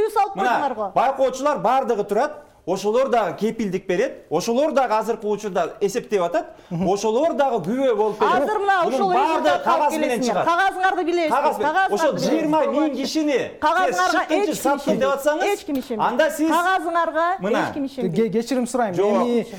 байкоочулар бардыгы турат. Ошолор дагы кепилдик берет. Ошолор дагы азыркы учурда эсептеп атат. Ошолор дагы күбө болуп берет. Азыр мына ошол баардыгы кагаз менен чыгат. Кагазыңарды билесиз. Ошол 20 миң кишини кагазыңарга сатты деп атсаңыз, эч ким ишенбейт. анда сиз кагазыңарга эч ким ишенбейт. Кечирим сурайм.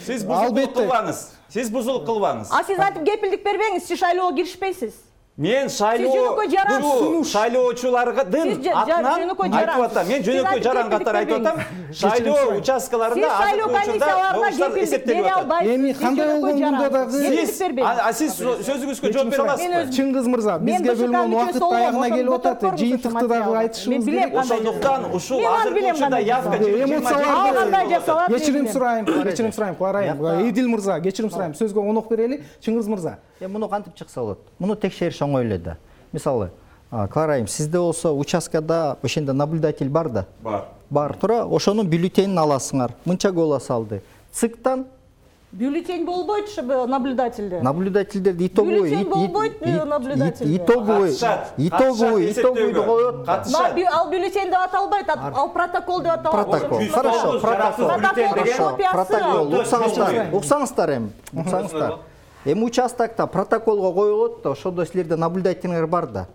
сиз бузулук кылбаңыз. Сиз бузулук кылбаңыз. А сиз айтып кепилдик бербеңиз, сиз шайлоого киришпейсиз. Мен шайлоочулардын атынан айтып атам. Мен жөнөкөй жаран катары айтып атам. Шайлоо участкаларында азыркы учурда добуштар эсептелип атат. Эми кандай болгондо дагы сиз сөзүңүзгө жооп бере аласызбы? Чыңгыз мырза, бизге бөлүнгөн убакыт аягына келип атат. Жыйынтыкты дагы айтышыбыз керек. Ошондуктан ушул азыркы учурда явка кечирим сурайм, Клара Эдил мырза, кечирим сурайм. Сөзгө конок берели. Чыңгыз мырза. Муну кантип чыкса болот? Муну текшериш оңой эле да. Мисалы, Клара, сизде болсо участкада ошондо наблюдатель бар да? Бар тура, ошонун бюллетенин аласыңар. Мынча голо салды. ЦИКтан Бюллетень болбойт ушу наблюдательде. Наблюдательдерди итоговой деп коет. Ал бюллетень деп аталбайт, ал протокол деп аталат. Протокол. Хорошо, протокол. Уксаңыздар эми. Эми участокто протоколго коюлат да, ошондо силерде наблюдательдер бар да.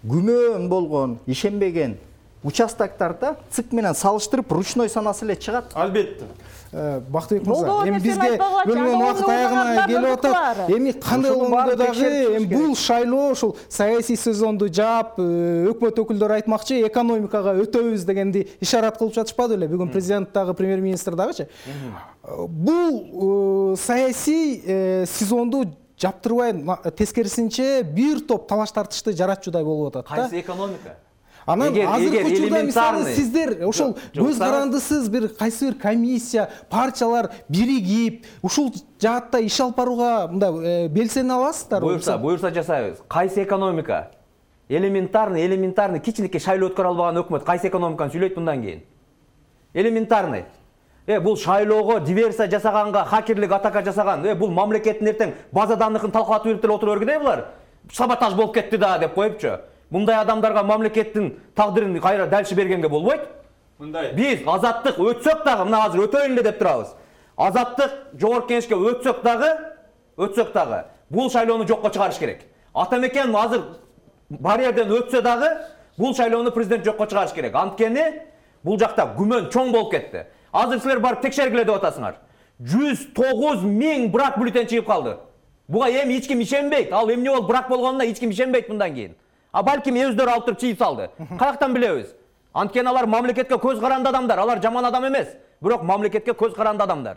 Күмөн болгон, ишенбеген участоктарда ЦИК менен салыштырып ручной санасы эле чыгат. Албетте. Бактыбек мырза, эми бизге бөлүнгөн убакыт аягына келип атат. Эми кандай болгондо дагы бул шайлоо ушул саясий сезонду жаап, өкмөт өкүлдөрү айтмакчы, экономикага өтөбүз дегенди ишарат кылып жатышпады беле? Бүгүн президент дагы, премьер-министр дагычы. Бул саясий сезонду жаптырбай, тескерисинче бир топ талаш тартышты жаратчудай болуп атат да. Кайсы экономика? Анан азыркы учурда мисалы сиздер ошол көз карандысыз бир кайсы бир комиссия, партиялар биригип, ушул жаатта иш алып барууга мындай белсене аласыздарбы? Буюрса жасайбыз. Кайсы экономика? Элементарный кичинекей шайлоо өткөрө албаган өкмөт кайсы экономиканы сүйлөйт мындан кийин? Элементарный. Бул шайлоого диверсия жасаганга, хакерлик атака жасаган, бул мамлекеттин эртең база данныхын талкалатып берип деле отура бергенде булар. Саботаж болуп кетти да деп коюпчу. Мындай адамдарга мамлекеттин тагдырын кайра дальше бергенге болбойт. Мындай. Биз азаттык өтсөк дагы, мына азыр өтөйүн эле деп турабыз. Азаттык жогорку кеңешке өтсөк дагы бул шайлоону жокко чыгарыш керек. Атамекен азыр барьерден өтсө дагы бул шайлоону президент жокко чыгарыш керек. Анткени бул жакта күмөн чоң болуп кетти. Азыр силер барып текшергиле деп атасыңар. 109 миң брак бюллетень чыгып калды. Буга эми эч ким ишенбейт. Ал эмне болуп брак болгонуна эч ким ишенбейт мындан кийин. А балким өздөрү алып туруп чыйып салды. Каяктан билебиз? Анткени алар мамлекетке көз каранды адамдар. Алар жаман адам эмес, бирок мамлекетке көз каранды адамдар.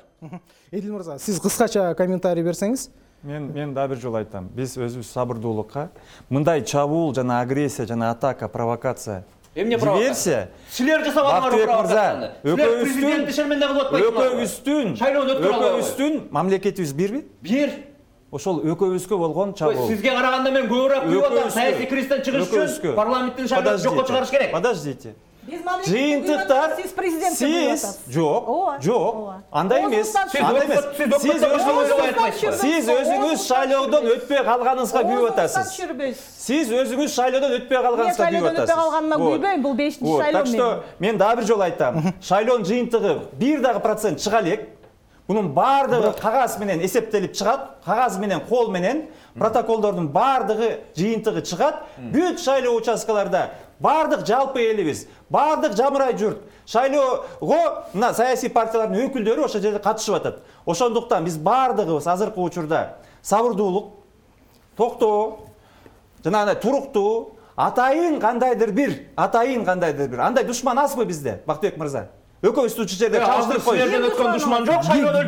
Эдил мырза, сиз кыскача комментарий берсеңиз. Мен да бир жолу айтам. Биз өзүбүз сабырдуулукка, мындай чабуул жана агрессия жана атака, провокация, эмне провокация? Силер жасап алгандар провокацияны. Силер президентти шерменде кылып атпайсыңар. Өкөбүздүн мамлекетибиз бирби? Бир. Ошол өкөбүзгө болгон чабуул. Сизге караганда мен көбүрөөк күйүп атам. Саясий кризистен чыгыш үчүн парламенттин шайлоосун жокко чыгарыш керек. Подождите. жыйынтыктар сиз президент сиз жок андай эмес, андай эмес. Сиз өзүңүз шайлоодон өтпөй калганыңызга күйүп атасыз. Сиз өзүңүз шайлоодон өтпөй калганыңызга күйүп атасыз. Өтпөй калганыма күйбөйм, бул 5-чи шайлоо. Так что мен дагы бир жолу айтам. Шайлоонун жыйынтыгы 1% чыга элек. Bunun бардыгы кагаз менен эсептелип чыгат, кагаз менен кол менен протоколдордун бардыгы жыйынтыгы чыгат. Бүт шайлоо участкаларда бардык жалпы элибиз, бардык жамырай журт шайлоого мына саясий партиялардын өкүлдөрү ошол жерде катышып атат. Ошондуктан биз бардыгыбыз азыркы учурда сабырдуулук, токтоо, жанагындай туруктуу, атайын кандайдыр бир андай душман азбы бизде, Бактыбек мырза? Экөөбүздү ушул жерде чалыштырып коюш. Силерден өткөн душман жок, шайлоодо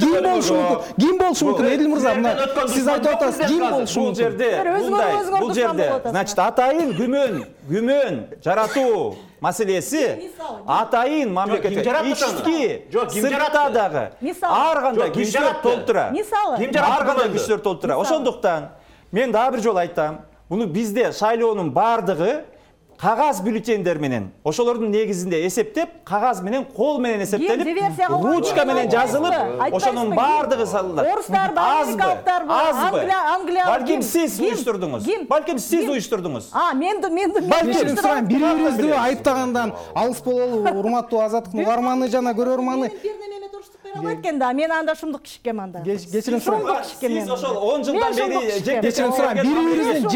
Ким болушу мүмкүн? Эдил мырза, мына сиз айтып атасыз, ким болушу мүмкүн? Бул жерде, значит, атайын күмөн жаратуу маселеси атайын мамлекетте ички сыртта дагы ар кандай күчтөр толтура. Ар кандай күчтөр толтура. Ошондуктан мен дагы бир жолу айтам, буну бизде шайлоонун бардыгы кагаз бюллетендер менен, ошолордун негизинде эсептеп, кагаз менен, кол менен эсептелип, ручка менен жазылып, ошонун бардыгы салынат. Орустар, америкалыктар, Англия. Балким сиз уюштурдуңуз. Кечирим сурайм, бири-бирибизди айыптагандан алыс бололу, урматтуу Азаттыктын угарманы жана көрөрманы. Экен да, мен анда шумдук кишикем анда. Кечирим сурайм. Сиз ошол 10 жылдан бери кечирим сурайм, бири-бирибиздин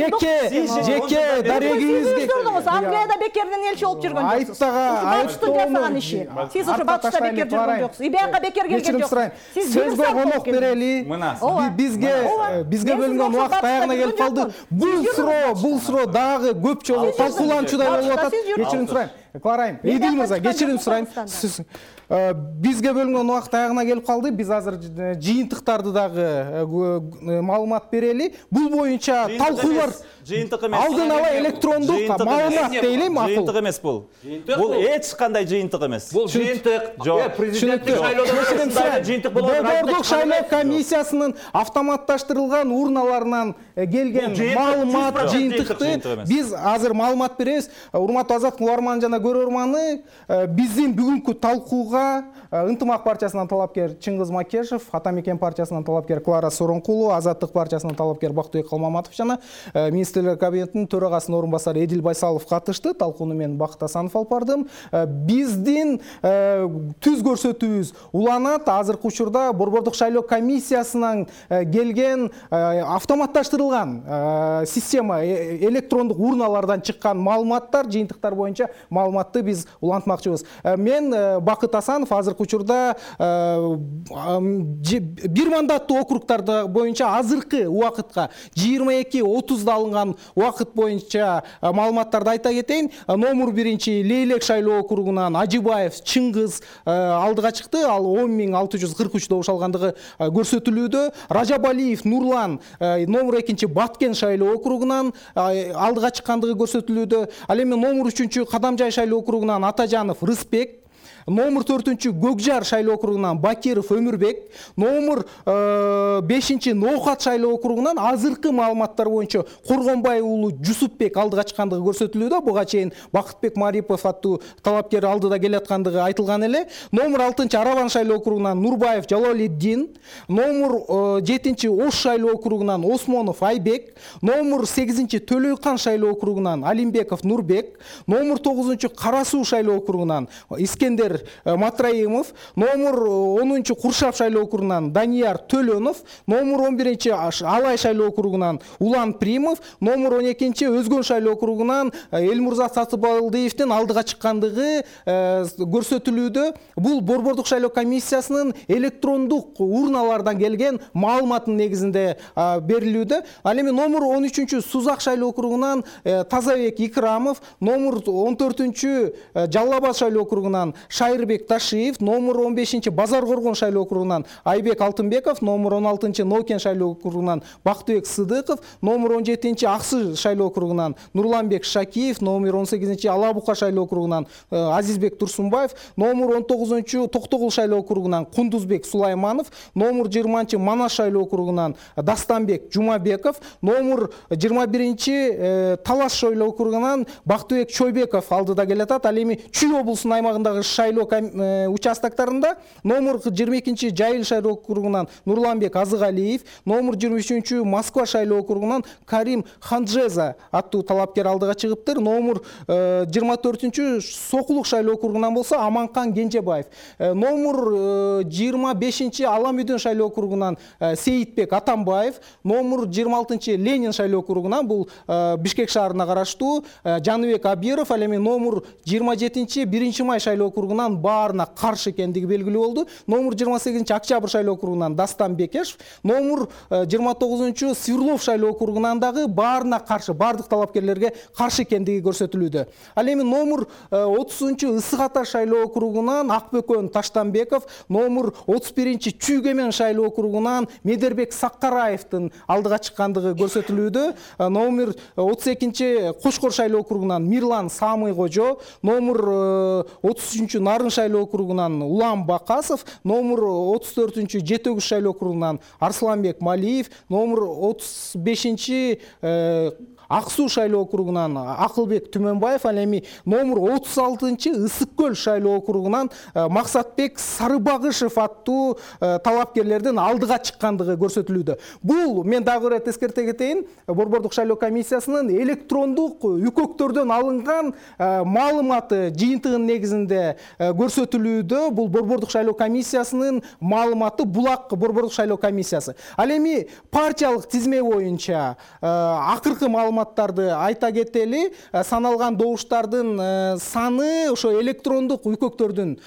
жеке дарегибизге Англияда бекерден элчи болуп жүргөн жоксуз. Батыштын жасаган иши. Сиз ошо Батышта бекер жүргөн жоксуз. Ибияка бекер келген жоксуз. Сиз сөзгө конок берели. Бизге бөлүнгөн убакыт аягына келип калды. Бул суроо дагы көп жолу талкууланчудай болуп атат. Кечирим сурайм. Кларайм, Эдил мырза, кечирим сурайм. Бизге бөлүнгөн убакыт аягына келип калды. Биз азыр жыйынтыктарды дагы маалымат берели. Бул боюнча талкуулар алдын ала электрондук маалымат дейли, макул. Жыйынтык эмес бул. Бул эч кандай жыйынтык эмес. Бул жыйынтык. Президенттик шайлоодо жыйынтык болот. Борбордук шайлоо комиссиясынын автоматташтырылган урналарынан келген маалымат жыйынтыкты биз азыр маалымат беребиз. Урматтуу Азаттыктын угарманы жана көрөрманы, биздин бүгүнкү талкууга Ынтымак партиясынан талапкер Чыңгыз Макешев, Атамекен партиясынан талапкер Клара Соронкулова, Азаттык партиясынан талапкер Бактыбек Калмаматов жана министрлер кабинетинин төрагасынын орун басары Эдил Байсалов катышты. Талкууну мен Бакыт Асанов алып бардым. Биздин түз көрсөтүүбүз уланат. Азыркы учурда Борбордук шайлоо комиссиясынан келген автоматташтырылган система электрондук урналардан чыккан маалыматтар, жыйынтыктар боюнча маалыматты биз улантмакчыбыз. Мен Бакыт Асанов азыркы учурда бир мандаттуу округтарда боюнча азыркы убакытка 22:30 алынган убакыт боюнча маалыматтарды айта кетейин. Номер 1 Лейлек шайлоо округунан Ажыбаев Чыңгыз алдыга чыкты. Ал 10.643 добуш алгандыгы көрсөтүлүүдө. Ражабалиев Нурлан номер 2 Баткен шайлоо округунан алдыга чыккандыгы көрсөтүлүүдө. Ал эми номер 3 Кадамжай шайлоо округунан Атажанов Рыспек, номер 4 Көкжар шайлоо округунан Бакиров Өмүрбек, номер 5 Ноохат шайлоо округунан азыркы маалыматтар боюнча Коргонбай уулу Жусупбек алдыга чыккандыгы көрсөтүлүүдө. Буга чейин Бакытбек Марипов аттуу талапкер алдыда келаткандыгы айтылган эле. Номер 6 Арабан шайлоо округунан Нурбаев Жалалиддин, номер 7 Ош шайлоо округунан Осмонов Айбек, номер 8 Төлөйкан шайлоо округунан Алимбеков Нурбек, номер 9 Кара Суу шайлоо округунан Искендер Матраимов, номер 10 Куршап шайлоо округунан Данияр Төлөнов, номер 11 Алай шайлоо округунан Улан Примов, номер 12 Өзгөн шайлоо округунан Элмурза Сатыбалдиевдин алдыга чыккандыгы көрсөтүлүүдө. Бул Борбордук шайлоо комиссиясынын электрондук урналардан келген маалыматтын негизинде берилүүдө. Ал эми номер 13 Сузак шайлоо округунан Тазабек Икрамов, номер 14 Жалал Абад шайлоо округунан Кайырбек Ташиев, номер 15 Базар Коргон шайлоо округунан Айбек Алтынбеков, номер 16 Нокен шайлоо округунан Бактыбек Сыдыков, номер 17 Аксы шайлоо округунан Нурланбек Шакиев, номер 18 Ала Бука шайлоо округунан Азизбек Турсунбаев, номер 19 Токтогул шайлоо округунан Кундузбек Сулайманов, номер 20 Манас шайлоо округунан Дастанбек Жумабеков, номер 21 Талас шайлоо округунан Бактыбек Чойбеков алдыда келатат. Ал эми Чүй облусунун аймагындагы шайлоо участоктарында номер 22 Жайыл шайлоо округунан Нурланбек Азыгалиев, номер 23 Москва шайлоо округунан Карим Ханжеза аттуу талапкер алдыга чыгыптыр. Номер 24 Сокулук шайлоо округунан болсо Аманкан Кенжебаев, номер 25 Алам Үйдөн шайлоо округунан Сейитбек Атамбаев, номер 26 Ленин шайлоо округунан бул Бишкек шаарына караштуу Жаныбек Абиров, ал эми номер 27 1 май шайлоо округунан баарына каршы экендиги белгилүү болду. Номер 28 Октябрь шайлоо округунан Дастан Бекешев, номер 29 Сверлов шайлоо округунан дагы баарына каршы, бардык талапкерлерге каршы экендиги көрсөтүлүүдө. Ал эми номер 30 Ысык Ата шайлоо округунан Акбөкөн Таштанбеков, номер 31 Чүйгемен шайлоо округунан Медербек Саккараевдин алдыга чыккандыгы көрсөтүлүүдө. Номер 32 Кошкор шайлоо округунан Мирлан Самый Кожо, номер 33 Нарын шайлоо округунан Улам Бакасов, номер 34 Жетөгүз шайлоо округунан Арсланбек Малиев, номер 35 Аксуу шайлоо округунан Акылбек Түмөнбаев, ал эми номер 36 Ысык Көл шайлоо округунан Максатбек Сарыбагышев аттуу талапкерлердин алдыга чыккандыгы көрсөтүлүүдө. Бул мен дагы бир эскерте кетейин, Борбордук шайлоо комиссиясынын электрондук үкөктөрдөн алынган маалыматы жыйынтыгынын негизинде көрсөтүлүүдө. Бул Борбордук шайлоо комиссиясынын маалыматы, Булак Борбордук шайлоо комиссиясы. Ал эми партиялык тизме боюнча акыркы маалыматтарды айта кетели. Саналган добуштардын саны ошо электрондук үкөктөрдүн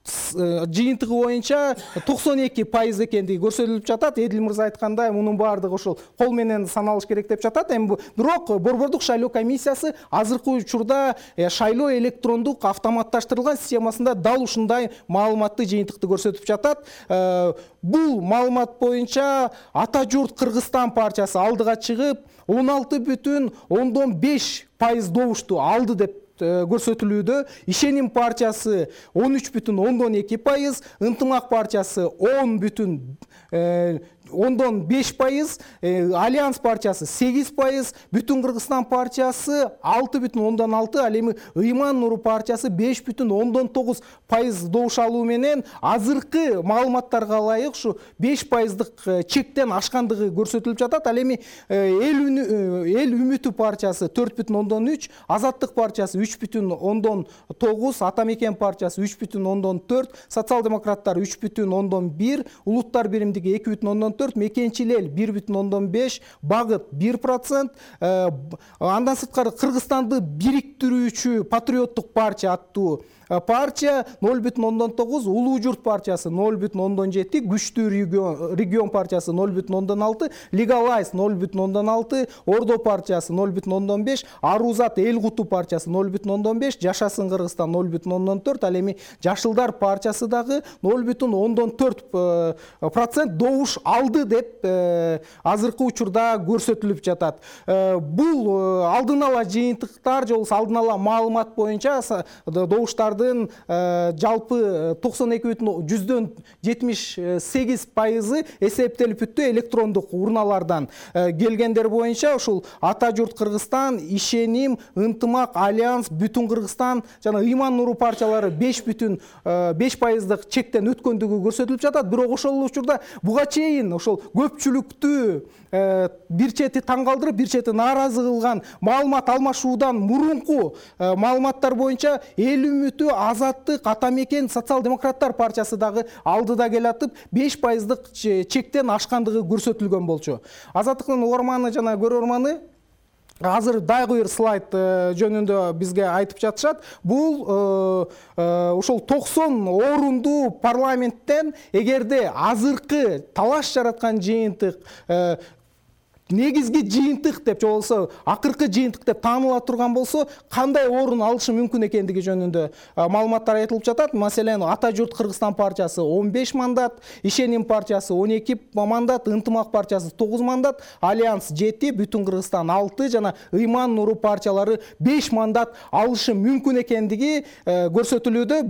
жыйынтыгы боюнча 92% экендиги көрсөтүлүп жатат. Эдил мырза айткандай, мунун баардыгы ошол кол менен саналыш керек деп жатат. Эми бирок Борбордук шайлоо комиссиясы азыркы учурда шайлоо электрондук автоматташтырылган системасында дал ушундай маалыматты жыйынтыкты көрсөтүп жатат. Бул маалымат боюнча Ата журт Кыргызстан партиясы алдыга чыгып 16,5% добушту алды деп көрсөтүлүүдө. Ишеним партиясы 13,2%, Ынтымак партиясы 10,5%, Альянс партиясы 8%, Бүтүн Кыргызстан партиясы 6,6%, ал эми Ыйман Нуру партиясы 5,9% добуш алуу менен азыркы маалыматтарга ылайык ушу 5%дык чектен ашкандыгы көрсөтүлүп жатат. Ал эми Эл Үмүтү партиясы 4,3%, Азаттык партиясы 3,9%, Ата Мекен партиясы 3,4%, Социал-демократтар 3,1%, Улуттар биримдиги 2,4%, Мекенчил эл 1,5%, Багыт 1%, андан сырткары Кыргызстанды бириктирүүчү Патриоттук партия аттуу партия 0,9%, Улуу журт партиясы 0,7%, Күчтүү регион партиясы 0,6%, Легалайз 0,6%, Ордо партиясы 0,5%, Арузат эл куту партиясы 0,5%, Жашасын Кыргызстан 0,4%, ал эми Жашылдар партиясы дагы 0,4% добуш алды деп азыркы учурда көрсөтүлүп жатат. Бул алдын ала жыйынтыктар же болбосо алдын ала маалымат боюнча добуштардын жалпы 92,78% эсептелип бүттү электрондук урналардан. Келгендер боюнча ушул Ата журт Кыргызстан, Ишеним, Ынтымак, Альянс, Бүтүн Кыргызстан жана Ыйман Нуру партиялары 5,5%дык чектен өткөндүгү көрсөтүлүп жатат. Бирок ошол учурда буга чейин ошол көпчүлүктү бир чети таң калтырып, бир чети нааразы кылган маалымат алмашуудан мурунку маалыматтар боюнча Эл Үмүтү, Азаттык, Ата Мекен, Социал-демократтар партиясы дагы алдыда келатып 5%дык чектен ашкандыгы көрсөтүлгөн болчу. Азаттыктын угарманы жана көрөрманы азыр дагы бир слайд жөнүндө бизге айтып жатышат. Бул ошол 90 орунду парламенттен эгерде азыркы талаш жараткан жыйынтык негизги жыйынтык деп же болбосо акыркы жыйынтык деп тааныла турган болсо кандай орун алышы мүмкүн экендиги жөнүндө маалыматтар айтылып жатат. Маселен, Ата журт Кыргызстан партиясы 15 мандат, Ишеним партиясы 12 мандат, Ынтымак партиясы 9 мандат, Альянс 7, Бүтүн Кыргызстан 6 жана Ыйман Нуру партиялары 5 мандат алышы мүмкүн экендиги көрсөтүлүүдө.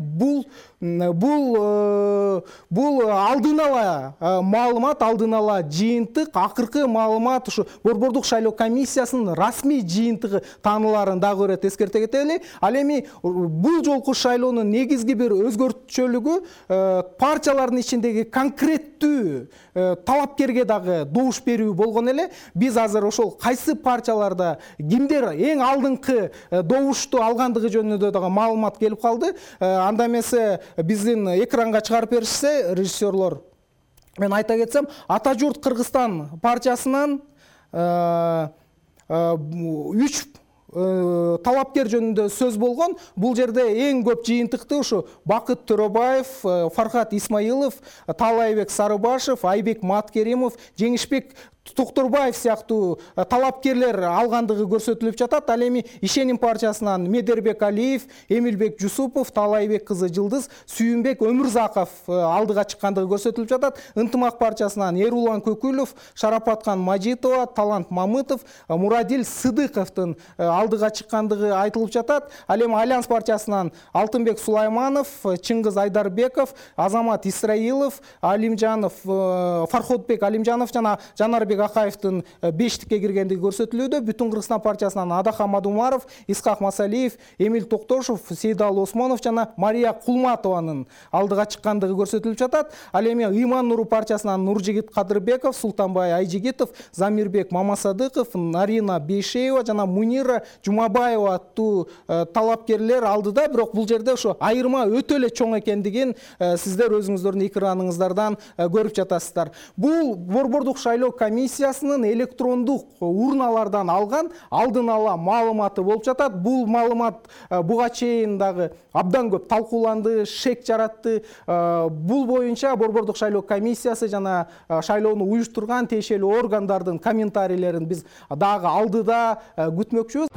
Бул алдын ала маалымат, алдын ала жыйынтык, акыркы маалымат ушу Борбордук шайлоо комиссиясынын расмий жыйынтыгы тааныларын дагы өрөт эскерте кетели. Ал эми бул жолку шайлоонун негизги бир өзгөртүчөлүгү партиялардын ичиндеги конкреттүү талапкерге дагы добуш берүү болгон эле. Биз азыр ошол кайсы партияларда кимдер эң алдыңкы добушту алгандыгы жөнүндө дагы маалымат келип калды. Анда эмесе биздин экранга чыгарып беришсе режиссерлор, мен айта кетсем, Ата журт Кыргызстан партиясынан 3 талапкер жөнүндө сөз болгон. Бул жерде эң көп жыйынтыкты ушу Бакыт Төрөбаев, Фархат Исмаилов, Таалайбек Сарыбашев, Айбек Маткеримов, Жеңишбек Токторбаев сыяктуу талапкерлер алгандыгы көрсөтүлүп жатат. Ал эми Ишеним партиясынан Медербек Алиев, Эмилбек Жусупов, Таалайбек кызы Жылдыз, Сүйүнбек Өмүрзаков алдыга чыккандыгы көрсөтүлүп жатат. Ынтымак партиясынан Эрулан Көкүлов, Шарапаткан Мажитова, Талант Мамытов, Мурадил Сыдыковдун алдыга чыккандыгы айтылып жатат. Ал эми Альянс партиясынан Алтынбек Сулайманов, Чыңгыз Айдарбеков, Азамат Исраилов, Алимжанов, Фарходбек Алимжанов жана Жанарбек Акаевдин 5-тикке киргендиги көрсөтүлүүдө. Бүтүн Кыргызстан партиясынан Адахан Мадумаров, Исхак Масалиев, Эмил Токтошов, Сейдал Осмонов жана Мария Кулматованын алдыга чыккандыгы көрсөтүлүп жатат. Ал эми Ыйман Нуру партиясынан Нуржигит Кадырбеков, Султанбай Айжигитов, Замирбек Мамасадыков, Нарина Бейшеева жана Мунира Жумабаева аттуу талапкерлер алдыда. Бирок бул жерде ошо айырма өтө эле чоң экендигин сиздер өзүңүздөрдүн экраныңыздардан көрүп жатасыздар. Бул Борбордук шайлоо комиссиясынын электрондук урналардан алган алдын ала маалыматы болуп жатат. Бул маалымат буга чейин дагы абдан көп талкууланды, шек жаратты. Бул боюнча Борбордук шайлоо комиссиясы жана шайлоону уюштурган тиешелүү органдардын комментарийлерин биз дагы алдыда күтмөкчүбүз.